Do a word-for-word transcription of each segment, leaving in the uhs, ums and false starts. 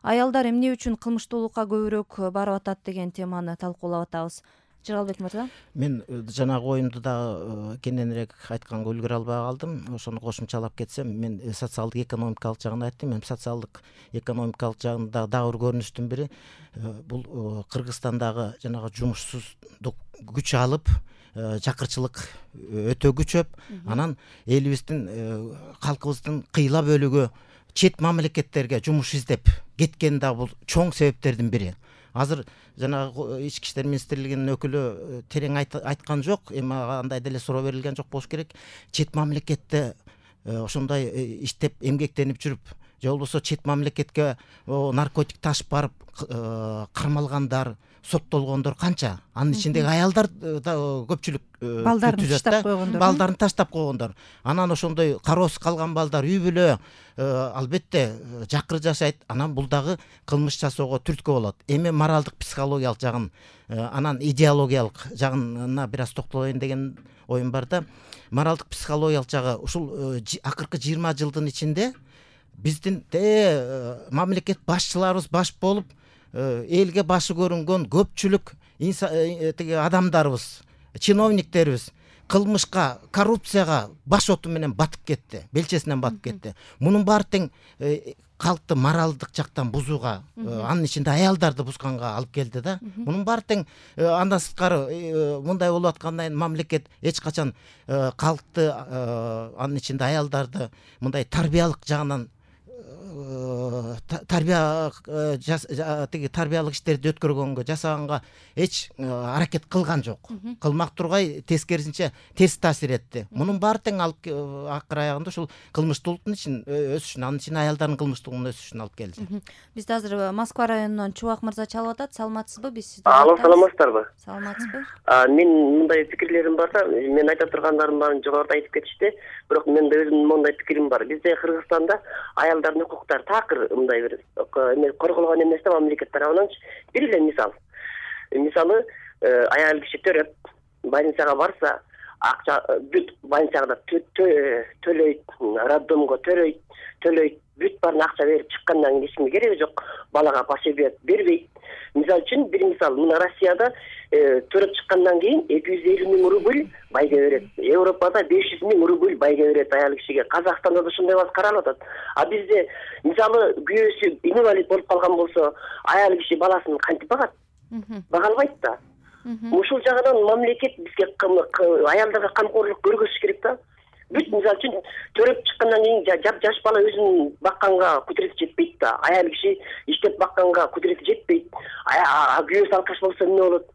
аялдар эмне үчүн кылмыштуулукка көбүрөөк барып атат деген теманы талкуулап атабыз. Жаралбек мырза. Мен жанагы оюмду дагы кененирээк айтканга үлгүрө албай калдым. Ошону кошумчалап кетсем, мен социалдык экономикалык жагын айттым. Мен социалдык экономикалык жагында дагы бир көрүнүштүн бири бул Кыргызстандагы жанагы жумушсуздук күч алып, жакырчылык өтө күчөп, анан элибиздин, калкыбыздын кыйла бөлүгү чет мамлекеттерге жумуш издеп кеткен да бул чоң себептердин бири. Азыр жанагы ички иштер министрлигинин өкүлү терең айткан жок, эми андай деле суроо берилген жок болуш керек. Чет мамлекетте ошондой иштеп эмгектенип жүрүп, же болбосо чет мамлекетке наркотик ташып барып кармалгандар, соттолгондор канча? Анын ичиндеги аялдар да көпчүлүк балдарын таштап койгондор. Балдарын таштап койгондор. Анан ошондой кароосуз калган балдар үй бүлө албетте жакыр жашайт. Анан бул дагы кылмыш жасоого түрткү болот. Эми моралдык психологиялык жагын, анан идеологиялык жагына бир аз токтолоюн деген оюм бар да. Моралдык психологиялык жагы ушул акыркы жыйырма жылдын ичинде биздин мамлекет башчыларыбыз баш болуп, элге башы көрүнгөн көпчүлүк тиги адамдарыбыз, чиновниктерибиз кылмышка, коррупцияга баш оту менен батып кетти, белчесинен батып кетти. Мунун баары тең калкты моралдык жактан бузууга, анын ичинде аялдарды бузганга алып келди да. Мунун баары тең андан сырткары мындай болуп аткандан кийин мамлекет эч качан калкты, анын ичинде аялдарды мындай тарбиялык жагынан тарбия тиги тарбиялык иштерди өткөргөнгө, жасаганга эч аракет кылган жок. Кылмак тургай тескерисинче терс таасир этти. Мунун баары тең алып акыр аягында ушул кылмыштуулуктун ичин өсүшүн, анын ичинде аялдардын кылмыштуулугунун өсүшүн алып келди. Бизди азыр Москва районунан Чубак мырза чалып атат. Саламатсызбы? Биз сизди. Алло, саламатсыздарбы? Саламатсызбы? Мен мындай пикирлерим бар да, мен айта тургандарым баарын жогоруда айтып кетишти. Бирок менде өзүмдүн мындай пикирим бар. Бизде Кыргызстанда аялдардын укуктары такыр мындай бир эме корголгон эмес да, мамлекет тарабынан. Бир эле мисал. Мисалы, аял киши төрөп, больницага барса, акча бүт больницага төлөйт, роддомго төлөйт, төлөйт, бүт баарын акча берип чыккандан кийин эчкимге кереги жок, балага пособие бербейт. Мисал үчүн бир мисал, мына Россияда төрөп чыккандан кийин эки жүз элүү миң рубль байга берет. Европада беш жүз миң рубль байга берет аял кишиге. Казакстанда да ушундай бас каралып атат. А бизде мисалы күйөөсү инвалид болуп калган болсо, аял киши баласын кантип багат? Бага албайт да. Ушул жагынан мамлекет бизге аялдарга камкорлук көргөзүш керек да. Бүт мисал үчүн төрөп чыккандан кийин жап жаш бала өзүн бакканга кудурети жетпейт да. Аял киши иштеп бакканга кудурети жетпейт. Күйөөсү алкаш болсо эмне болот?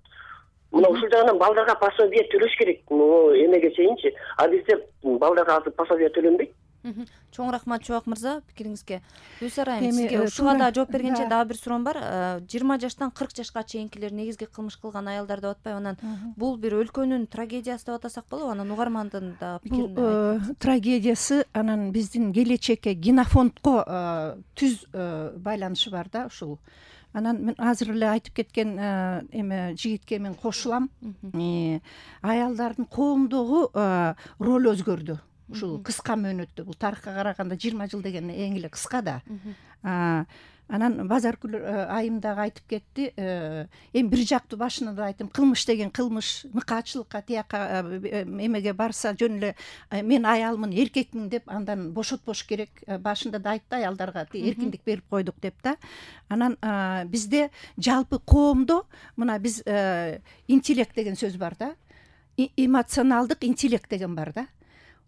Мына ушул жагынан балдарга пособие төлөш керек. Эмеге чейинчи. А бизде балдарга азыр пособие төлөнбөйт. Чоң рахмат Чубак мырза пикириңизге. Гүлсара айым, сизге ушуга да жооп бергенче дагы бир суроом бар. жыйырма жаштан кырк жашка чейинкилер негизги кылмыш кылган аялдар деп атпайбы? Анан бул бир өлкөнүн трагедиясы деп атасак болобу? Анан угармандын да пикирин айтып. Трагедиясы анан биздин келечекке, генофондко түз байланышы бар да ушул. Анан мен азыр эле айтып кеткен эме жигитке мен кошулам. Аялдардын коомдогу роль өзгөрдү. Ушул кыска мөөнөттө, бул тарыхка караганда жыйырма жыл деген эң эле кыска да. Анан Базаркүл айым дагы айтып кетти. Эми бир жактуу башында да айттым, кылмыш деген кылмыш, мыкаачылыкка, тияка эмеге барса жөн эле мен аялмын, эркекмин деп андан бошотпош керек. Башында да айтты, аялдарга эркиндик берип койдук деп да. Анан бизде жалпы коомдо мына биз интеллект деген сөз бар да. Эмоционалдык интеллект деген бар да.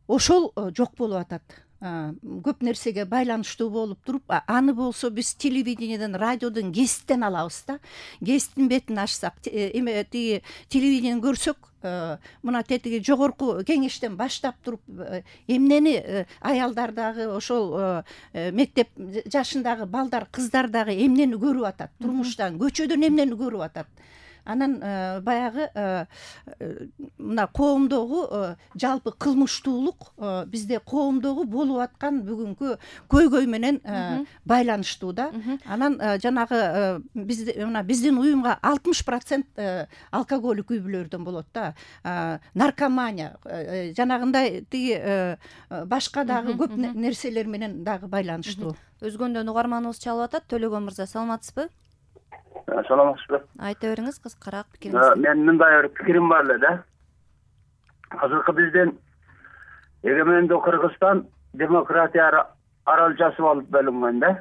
Ошол жок болуп атат. Көп нерсеге байланыштуу болуп туруп, аны болсо биз телевидениеден, радиодон, гезиттен алабыз да. Гезиттин бетин ачсак, эме тиги телевидениеден көрсөк, мына тетиги жогорку кеңештен баштап туруп, эмнени аялдар дагы, ошол мектеп жашындагы балдар, кыздар дагы эмнени көрүп атат, турмуштан, көчөдөн эмнени көрүп атат. анан баягы мына коомдогу жалпы кылмыштуулук бизде коомдогу болуп аткан бүгүнкү көйгөй менен байланыштуу да. Анан жанагы бизде мына биздин уюмга алтымыш процент алкоголик үй бүлөлөрдөн болот да. Наркомания жанагындай тиги башка дагы көп нерселер менен дагы байланыштуу. Өзгөндөн угарманыбыз чалып атат. Төлөгөн мырза, саламатсызбы? Саламатсызбы? Айта бериңиз, кыскараак пикириңизди. Мен мындай бир пикирим бар эле да. Азыркы биздин эгемендүү Кыргызстан демократия аралчасы болуп бөлүнгөн да.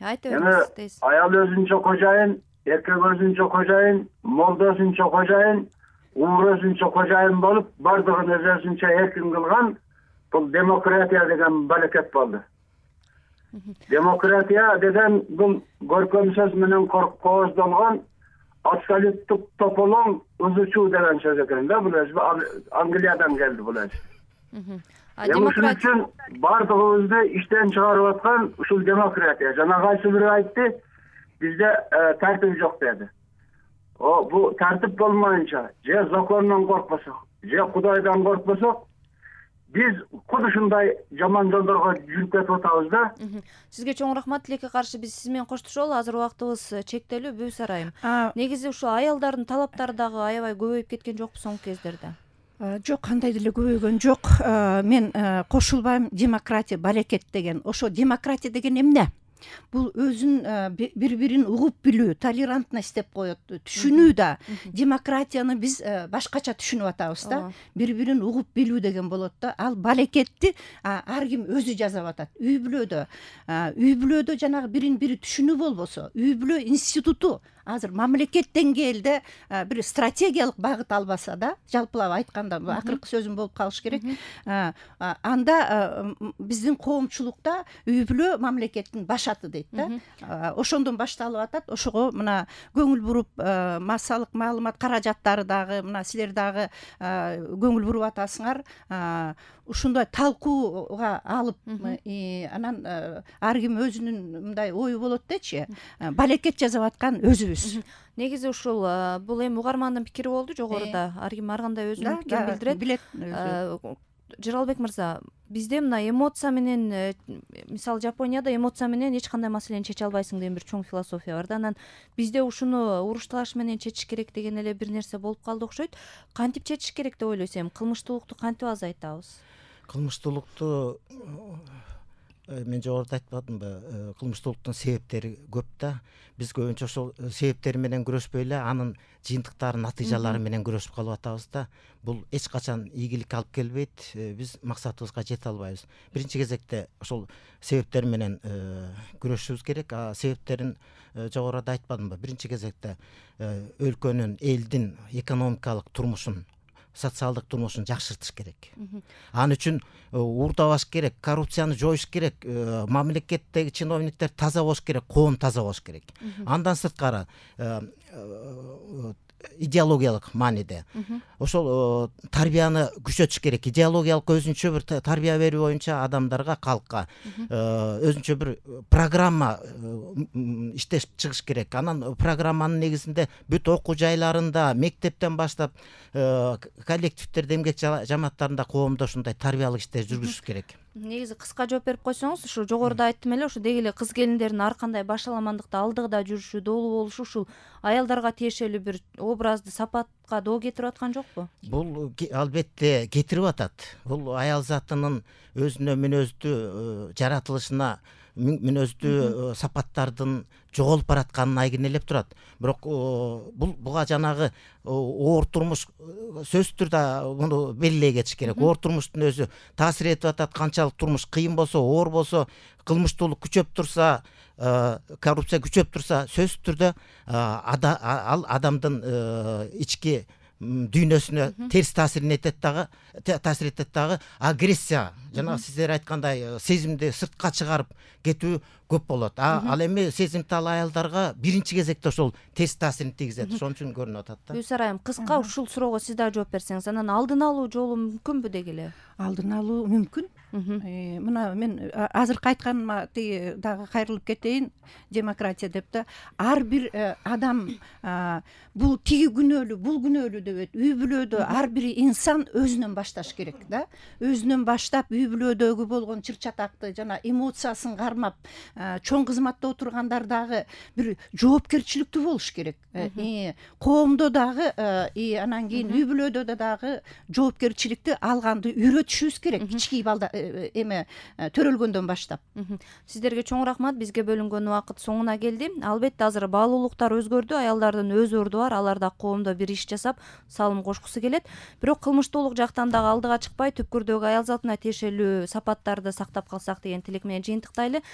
Айта бериңиз дейсиз. Аял өзүнчө кожайын, эркек өзүнчө кожайын, молдо өзүнчө кожайын, ур өзүнчө кожайын болуп, бардыгын өз өзүнчө эркин кылган бул демократия деген балекет болду. Демократия деген бул көркөм сөз менен кооздолгон абсолюттук тополоң узучу деген сөз экен да. Бул өзү Англиядан келди бул өзү. Демократия үчүн бардыгыбызды иштен чыгарып аткан ушул демократия. Жана кайсы бири айтты, бизде тартип жок деди. О, бу тартип болмоюнча, же закондон коркпосок, же Кудайдан коркпосок, биз куд ушундай жаман жолдорго жүрүп кетип атабыз да. Сизге чоң рахмат. Тилекке каршы биз сиз менен коштошолу. Азыр убактыбыз чектелүү. Бүүс Арайым. Негизи ушул аялдардын талаптары дагы аябай көбөйүп кеткен жокпу соңку кездерде? Жок, кандай деле көбөйгөн жок. Мен кошулбайм. Демократия, барекет деген. Ошо демократия деген эмне? Бул өзүн бири-бирин угуп билүү, толерантность деп коет, түшүнүү да. Демократияны биз башкача түшүнүп атабыз да. Бири-бирин угуп билүү деген болот да. Ал барекетти ар ким өзү жасап атат. Үй бүлөдө, үй бүлөдө жанагы бирин-бири түшүнүү болбосо, үй бүлө институту азыр мамлекет деңгээлде бир стратегиялык багыт албаса да, жалпылап айтканда акыркы сөзүм болуп калыш керек. Анда биздин коомчулукта үй бүлө мамлекеттин башаты дейт да. Ошондон башталып атат. Ошого мына көңүл буруп, массалык маалымат каражаттары дагы мына силер дагы көңүл буруп атасыңар. Ушундай талкууга алып, анан ар ким өзүнүн мындай ою болот дечи, балекет жасап аткан өзүбүз. Негизи ушул бул эми угармандын пикири болду жогоруда. Ар ким ар кандай өзүнүн пикирин билдирет. Жыралбек мырза, бизде мына эмоция менен, мисалы Жапонияда эмоция менен эч кандай маселени чече албайсың деген бир чоң философия бар да. Анан бизде ушуну уруш талаш менен чечиш керек деген эле бир нерсе болуп калды окшойт. Кантип чечиш керек деп ойлойсуң? Кылмыштуулукту кантип азайтабыз? Кылмыштуулукту мен жогоруда айтпадымбы, кылмыштуулуктун себептери көп да. Биз көбүнчө ошол себептери менен күрөшпөй эле анын жыйынтыктары, натыйжалары менен күрөшүп калып атабыз да. Бул эч качан ийгиликке алып келбейт. Биз максатыбызга жете албайбыз. Биринчи кезекте ошол себептер менен күрөшүшүбүз керек. А себептерин жогоруда айтпадымбы? Биринчи кезекте өлкөнүн, элдин экономикалык турмушун, социалдык турмушун жакшыртыш керек. Ал үчүн уурдабаш керек, коррупцияны жоюш керек, мамлекеттеги чиновниктер таза болуш керек, коом таза болуш керек. Андан сырткары идеологиялык мааниде ошол тарбияны күчөтүш керек. Идеологиялык өзүнчө бир тарбия берүү боюнча адамдарга, калкка өзүнчө бир программа иштешип чыгыш керек. Анан программанын негизинде бүт окуу жайларында, мектептен баштап коллективдерде, эмгек жамааттарында коомдо ушундай тарбиялык иштер жүргүзүш керек. Негизи кыска жооп берип койсоңуз, ушу жогоруда айттым эле, ушу деги эле кыз келиндердин ар кандай башаламандыкта алдыгда жүрүшү, доолуу болушу ушул аялдарга тиешелүү бир образды, сапатка доо кетирип аткан жокпу? Бул албетте кетирип атат. Бул аял затынын өзүнө мүнөздүү жаратылышына мүнөздүү сапаттардын жоголуп баратканын айгинелеп турат. Бирок бул буга жанагы оор турмуш сөзсүз түрдө муну белгилей кетиш керек. Оор турмуштун өзү таасир этип атат. Канчалык турмуш кыйын болсо, оор болсо, кылмыштуулук күчөп турса, коррупция күчөп турса, сөзсүз түрдө ал адамдын ички дүйнөсүнө терс таасирин этет дагы, таасир этет дагы агрессия, жана сиздер айткандай сезимди сыртка чыгарып кетүү көп болот. Ал эми сезимтал аялдарга биринчи кезекте ошол тест таасирин тийгизет. Ошон үчүн көрүнүп атат да. Гүлсара айым, кыска ушул суроого сиз да жооп берсеңиз, анан алдын алуу жолу мүмкүнбү деги эле? Алдын алуу мүмкүн. Мына мен азыркы айтканыма тиги дагы кайрылып кетейин, демократия деп да. Ар бир адам бул тиги күнөөлүү, бул күнөөлүү деп үй бүлөдө ар бир инсан өзүнөн башташ керек да. Өзүнөн баштап үй бүлөдөгү болгон чыр-чатакты жана эмоциясын кармап, чоң кызматта отургандар дагы бир жоопкерчиликтүү болуш керек. Коомдо дагы, анан кийин үй бүлөдө дагы жоопкерчиликти алганды үйрөтүшүбүз керек. Кичинекей балда эме төрөлгөндөн баштап. Сиздерге чоң рахмат. Бизге бөлүнгөн убакыт соңуна келди. Албетте азыр баалуулуктар өзгөрдү, аялдардын өз орду бар, алар да коомдо бир иш жасап салым кошкусу келет. Бирок кылмыштуулук жактан дагы алдыга чыкпай, түпкүрдөгү аял затына тиешелүү сапаттарды сактап калсак деген тилек менен жыйынтыктайлы.